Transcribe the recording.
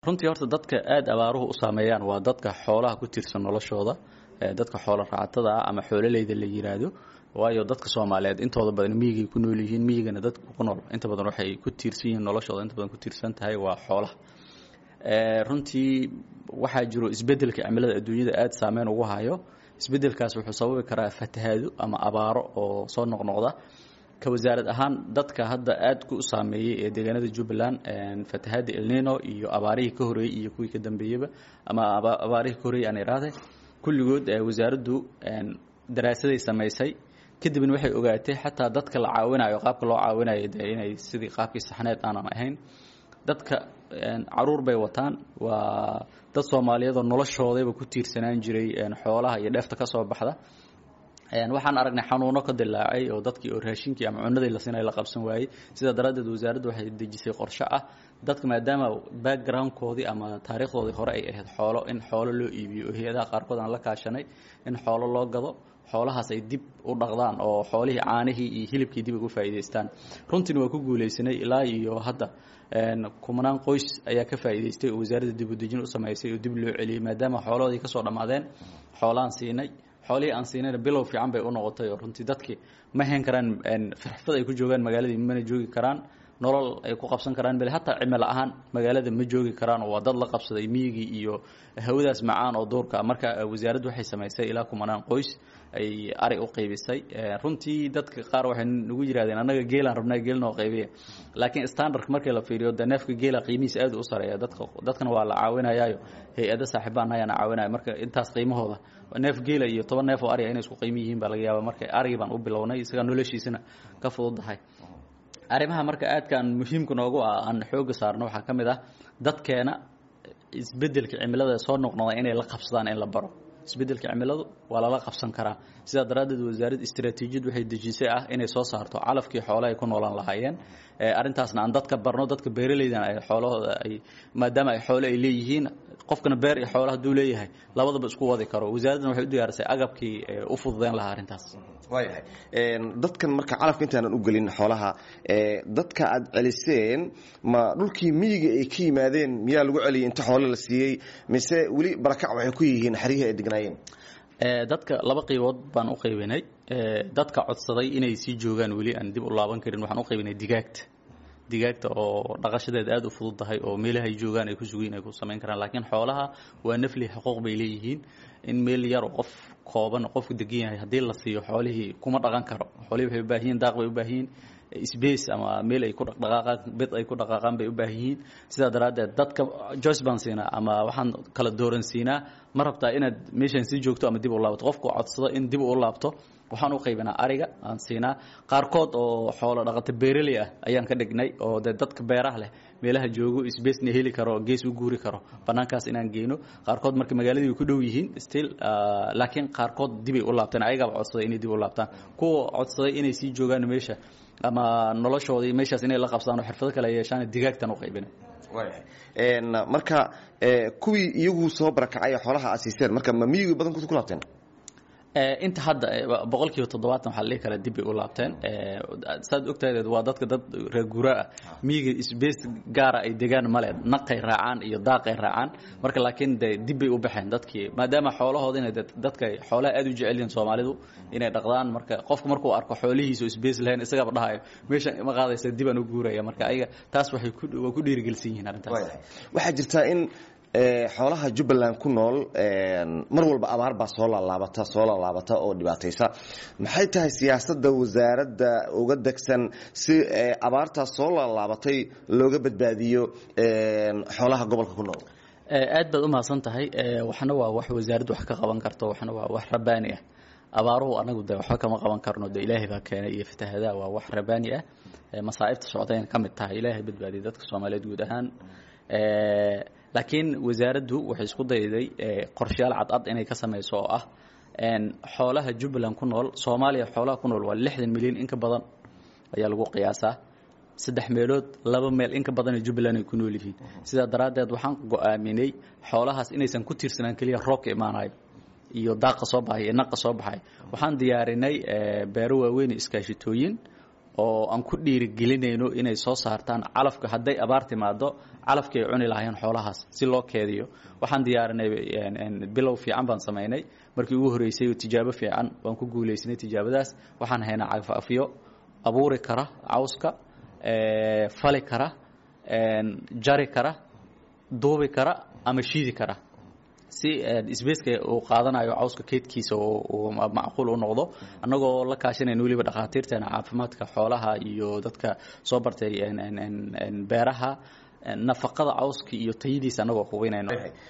Runtii horta dadka aada abaaruhu u saameeyaan waa dadka xoolaha ku tiirsan noloshooda, dadka xoolo raacatada ah ama xoololeyda la yiraahdo, waayo dadka Soomaaliyeed intooda badan miyigay ku nool yihiin. Miyigana dadka ku nool inta badan waxay ku tiirsan yihiin noloshooda, inta badan ku tiirsan tahay waa xoolaha. Runtii waxaa jiro isbedelka cimilada adduunyada aada saameyn ugu hayo. Isbedelkaas wuxuu sababi karaa fatahaado ama abaaro oo soo noqnoqda. Ka wasaarad ahaan, dadka hadda aad ku saameeyey ee deegaanada Jubbaland fatahaada Elnino iyo abaarihii ka horeeyey iyo kuwii ka dambeeyeyba, ama abaarihii ka horeeyey aan iraahday, kulligood wasaaraddu daraasaday samaysay. Kadibna waxay ogaatay xataa dadka la caawinayo, qaabka loo caawinayo dee inay sidii qaabkii saxneed aanan ahayn. Dadka caruur bay wataan, waa dad Soomaaliyeed oo noloshoodayba ku tiirsanaan jiray xoolaha iyo dheefta ka soo baxda. Waxaan aragnay xanuuno ka dilaacay oo dadkii oo raashinkii ama cunadii la siinay la qabsan waayey. Sidaa daraaddeed wasaaraddu waxay dejisay qorshe ah dadka, maadaama backgroundkoodii ama taariikhdoodii hore ay ahayd xoolo, in xoolo loo iibiyo oo hay-adaha qaarkood aan la kaashanay in xoolo loo gado, xoolahaas ay dib u dhaqdaan oo xoolihii caanihii iyo hilibkii dib ugu faa'iidaystaan. Runtiina waa ku guulaysanay. Ilaa iyo hadda kumanaan qoys ayaa ka faa'iidaystay oo wasaaradda dib u dejin u samaysay oo dib loo celiyey, maadaama xoolahoodii kasoo dhammaadeen. Xoolaan siinay, xoolihii aan siinayna bilow fiican bay u noqotay oo runtii dadkii ma hayn karaan firxfad ay ku joogaan magaaladii, mana joogi karaan nolol ay ku qabsan karaan, bale hataa cimilo ahaan magaalada ma joogi karaan oo waa dad la qabsaday miyigii iyo hawadaas macaan oo duurka. Marka wasaaraddu waxay samaysay ilaa kumanaan qoys ay ari u qaybisay. Runtii dadka qaar waxay nagu yirahdeen, "Annaga geelaan rabnaa, geel noo qaybiya." Laakiin standardka markii la fiiriyo dee neefka geela qiimihiisa aad u sareeya. Dadka dadkana waa la caawinayaayo, hay-ado saaxiibaan ayaana caawinaya. Marka intaas qiimahooda neef geela iyo 10 neef oo ariga inay isku qiimo yihiin baa laga yaaba. Marka arigii baan u bilownay, isagaa noloshiisana ka fududahay. Arrimaha marka aadkaan muhiimka noogu ah aan xooga saarno waxaa ka mid ah dadkeena isbedelka cimilada soo noqnoqda inay la qabsadaan, in la baro isbedelka cimiladu waa lala qabsan karaa. Sidaa daraaddeed wasaaradda istaraatiijiyad waxay dejisay ah inay soo saarto calafkii xoolaha ay ku noolaan lahaayeen. Arrintaasna aan dadka barno, dadka beeraleydana ay xoolahooda ay, maadaama ay xoolo ay leeyihiin, qofkana beer iyo xoolo hadduu leeyahay labadaba isku wadi karo. Wasaaraddana waxay u diyaarisay agabkii u fududeyn lahaa arrintaas. Waayahay, dadkan marka calafka intaanan u gelin xoolaha, dadka aad celiseen ma dhulkii miyiga ay ka yimaadeen miyaa lagu celiyey inta xoolo la siiyey, mise weli barakac waxay ku yihiin xeryihii ay degnaayeen? Dadka laba qaybood baan u qaybinay. Dadka codsaday inay sii joogaan, weli aan dib u laaban karin, waxaan u qaybinay digaagta, digaagta oo dhaqashadeed aada u fudud tahay oo meelaha ay joogaan ay ku sugiin ay ku samayn karaan. Laakiin xoolaha waa nafli, xuquuq bay leeyihiin. In meel yar oo qof kooban qofku degan yahay haddii la siiyo, xoolihii kuma dhaqan karo. Xoolihii waxay u baahan yihiin daaq bay u baahan yihiin, space ama meel ay ku dhaqdhaqaaqaan, bed ay ku dhaqaaqaan bay u baahan yihiin. Sidaa daraaddeed dadka choice baan siinaa ama waxaan kala dooran siinaa: ma rabtaa inaad meeshan sii joogto ama dib u laabato? Qofku codsado in dib u laabto waxaan u qaybinaa ariga aan siinaa. Qaarkood oo xoolo dhaqato beeraley ah ayaan ka dhignay oo dee dadka beeraha leh meelaha joogo spacena heli karo, gees u guuri karo, banaankaas inaan geyno. Qaarkood marka magaaladii way ku dhow yihiin still, laakiin qaarkood dibay u laabteen, ayagaaba codsaday inay dib u laabtaan. Kuwa codsaday inay sii joogaan meesha ama noloshoodii meeshaas inay la qabsadaan oo xirfado kale yeeshaan, digaagtan u qaybinay. Waayahay, marka kuwii iyagu soo barakacay xoolaha aad siiseen marka ma miyigii badankood ku laabteen? Inta hadda 70% waxaa la dhihi karaa dib bay u laabteen. Saad ogtahay waa dadka dad reer guuraa ah, miyiga space gaara ay degaan male, naqay raacaan iyo daaqay raacaan. Marka laakiin de dib bay u baxeen dadkii, maadaama xoolahoodina dadka xoolaha aad u jecel yihiin Soomaalidu inay dhaqdaan. Marka qofku markuu arko xoolihiisa oo space lahayn, isagaba dhahayo, "Meeshan ma qaadaysa, dib aan u guuraya." Marka ayaga taas waxay ku waa ku dhiirigelsan yihiin arrintaas. Waxaa jirtaa in xoolaha Jubbaland ku nool mar walba abaar baa soo laalaabata, soo laalaabata oo dhibaataysa. Maxay tahay siyaasadda wasaaradda uga degsan si abaartaas soo laalaabatay looga badbaadiyo xoolaha gobolka ku nool? Aad baad u mahadsan tahay. Waxna waa wax wasaaraddu wax ka qaban karto, waxna waa wax rabbaani ah. Abaaruhu anagu de waxba kama qaban karno, de Ilaahay baa keenay, iyo fatahadaha waa wax rabbaani ah, masaa'ibta socdayna ka mid tahay. Ilaahay badbaadiyay dadka Soomaaliyeed guud ahaan. Laakiin wasaaraddu waxay isku dayday qorshayaal cadcad inay ka samayso oo ah xoolaha Jubbaland ku nool. Soomaaliya xoolaha ku nool waa 60 milyan in ka badan ayaa lagu qiyaasaa. Saddex meelood laba meel in ka badan Jubbaland ay ku nool yihiin. Sidaa daraaddeed waxaan go'aaminay xoolahaas inaysan ku tiirsanaan keliya roobka imaanayo iyo daaqa soo baxay iyo naqa soo baxay. Waxaan diyaarinay beero waaweyn, iskaashitooyin. Oo aan ku dhiirigelinayno inay soo saartaan calafka hadday abaar timaado, calafkii ay cuni lahaayeen xoolahaas si loo keediyo. Waxaan diyaarinay, bilow fiican baan samaynay markii ugu horreysay, tijaabo fiican waan ku guulaysanay tijaabadaas. Waxaan haynaa cagafcagafyo abuuri kara cawska, fali kara, jari kara, duubi kara ama shiidi kara, si spaceka uu qaadanayo cawska keydkiisa uu macquul u noqdo, annagoo la kaashanayna weliba dhakhaatiirteena caafimaadka xoolaha iyo dadka soo bartay beeraha, nafaqada cawska iyo tayadiisa annagoo hubinayno.